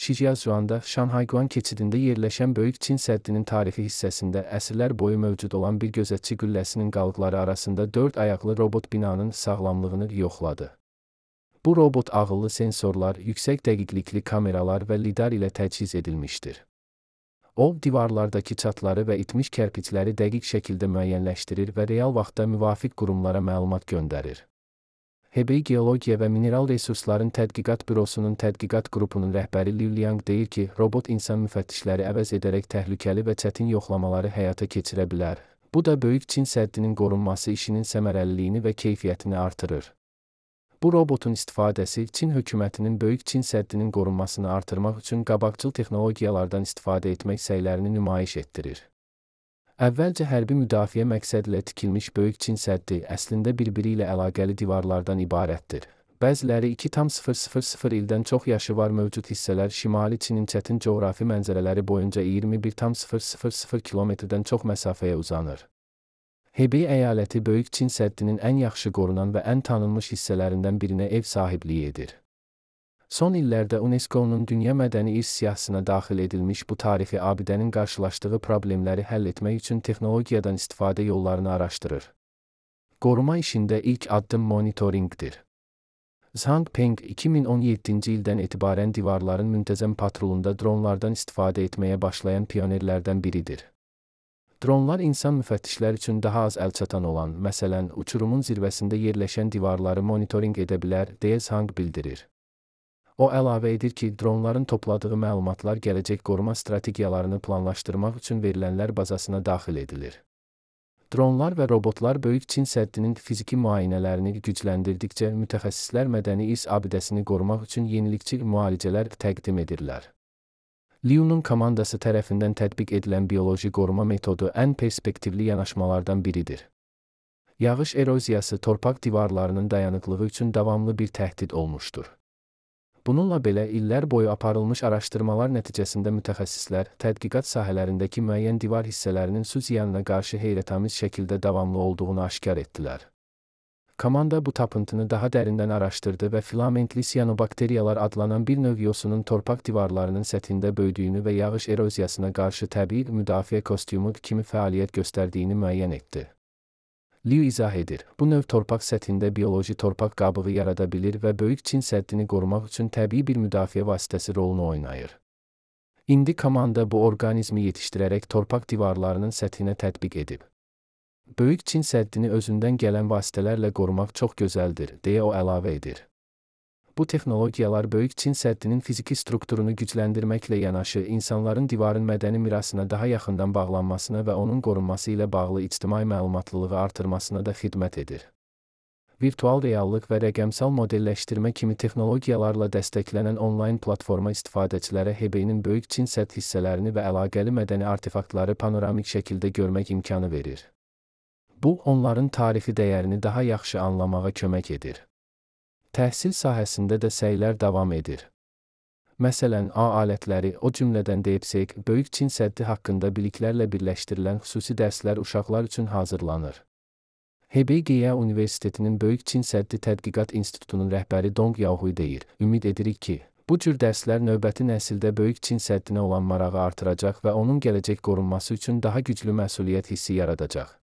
Shijiazhuangda Şanhayguan keçidində yerləşən Böyük Çin səddinin tarixi hissəsində əsrlər boyu mövcud olan bir gözətçi qülləsinin qalıqları arasında 4 ayaqlı robot binanın sağlamlığını yoxladı. Bu robot ağıllı sensorlar, yüksək dəqiqlikli kameralar və lidar ilə təchiz edilmişdir. O, divarlardakı çatları və itmiş kərpicləri dəqiq şəkildə müəyyənləşdirir və real vaxtda müvafiq qurumlara məlumat göndərir. Hebei Geologiya və Mineral Resursların Tədqiqat Bürosunun tədqiqat qrupunun rəhbəri Liu Liang deyir ki, robot insan müfəttişləri əvəz edərək təhlükəli və çətin yoxlamaları həyata keçirə bilər. Bu da Böyük Çin səddinin qorunması işinin səmərəliliyini və keyfiyyətini artırır. Bu robotun istifadəsi Çin hökumətinin Böyük Çin səddinin qorunmasını artırmaq üçün qabaqcıl texnologiyalardan istifadə etmək səylərini nümayiş etdirir. Əvvəlcə hərbi müdafiə məqsədilə tikilmiş Böyük Çin səddi əslində bir-biri ilə əlaqəli divarlardan ibarətdir. Bəziləri 2,000 ildən çox yaşı var mövcud hissələr Şimali Çinin çətin coğrafi mənzərələri boyunca 21,000 kilometrdən çox məsafəyə uzanır. Hebei əyaləti Böyük Çin səddinin ən yaxşı qorunan və ən tanınmış hissələrindən birinə ev sahibliyi edir. Son illərdə UNESCO-nun Dünya Mədəni İrs siyahısına daxil edilmiş bu tarixi abidənin qarşılaşdığı problemləri həll etmək üçün texnologiyadan istifadə yollarını araşdırır. Qoruma işində ilk addım monitorinqdir. Zhang Peng 2017-ci ildən etibarən divarların müntəzəm patrolunda dronlardan istifadə etməyə başlayan pionerlərdən biridir. Dronlar insan müfəttişlər üçün daha az əlçatan olan, məsələn, uçurumun zirvəsində yerləşən divarları monitorinq edə bilər, deyə Zhang bildirir. O əlavə edir ki, dronların topladığı məlumatlar gələcək qoruma strategiyalarını planlaşdırmaq üçün verilənlər bazasına daxil edilir. Dronlar və robotlar Böyük Çin səddinin fiziki müayinələrini gücləndirdikcə mütəxəssislər mədəni irs abidəsini qorumaq üçün yenilikçi müalicələr təqdim edirlər. Liu'nun komandası tərəfindən tətbiq edilən bioloji qoruma metodu ən perspektivli yanaşmalardan biridir. Yağış eroziyası torpaq divarlarının dayanıqlığı üçün davamlı bir təhdid olmuşdur. Bununla belə, illər boyu aparılmış araşdırmalar nəticəsində mütəxəssislər, tədqiqat sahələrindəki müəyyən divar hissələrinin su ziyanına qarşı heyrətamiz şəkildə davamlı olduğunu aşkar etdilər. Komanda bu tapıntını daha dərindən araşdırdı və filamentli siyanobakteriyalar adlanan bir növ yosunun torpaq divarlarının səthində böyüdüyünü və yağış eroziyasına qarşı təbii müdafiə kostyumu kimi fəaliyyət göstərdiyini müəyyən etdi. Liu izah edir, bu növ torpaq səthində bioloji torpaq qabığı yarada bilir və Böyük Çin səddini qorumaq üçün təbii bir müdafiə vasitəsi rolunu oynayır. İndi komanda bu orqanizmi yetişdirərək torpaq divarlarının səthinə tətbiq edib. Böyük Çin səddini özündən gələn vasitələrlə qorumaq çox gözəldir, deyə o əlavə edir. Bu texnologiyalar Böyük Çin səddinin fiziki strukturunu gücləndirməklə yanaşı, insanların divarın mədəni mirasına daha yaxından bağlanmasına və onun qorunması ilə bağlı ictimai məlumatlılığı artırmasına da xidmət edir. Virtual reallıq və rəqəmsal modelləşdirmə kimi texnologiyalarla dəstəklənən onlayn platforma istifadəçilərə Hebeinin Böyük Çin sədd hissələrini və əlaqəli mədəni artefaktları panoramik şəkildə görmək imkanı verir. Bu, onların tarixi dəyərini daha yaxşı anlamağa kömək edir. Təhsil sahəsində də səylər davam edir. Məsələn, A alətləri, o cümlədən DeepSeek, Böyük Çin səddi haqqında biliklərlə birləşdirilən xüsusi dərslər uşaqlar üçün hazırlanır. Hebei Geya Universitetinin Böyük Çin səddi tədqiqat institutunun rəhbəri Dong Yaohui deyir, ümid edirik ki, bu cür dərslər növbəti nəsildə Böyük Çin səddinə olan marağı artıracaq və onun gələcək qorunması üçün daha güclü məsuliyyət hissi yaradacaq.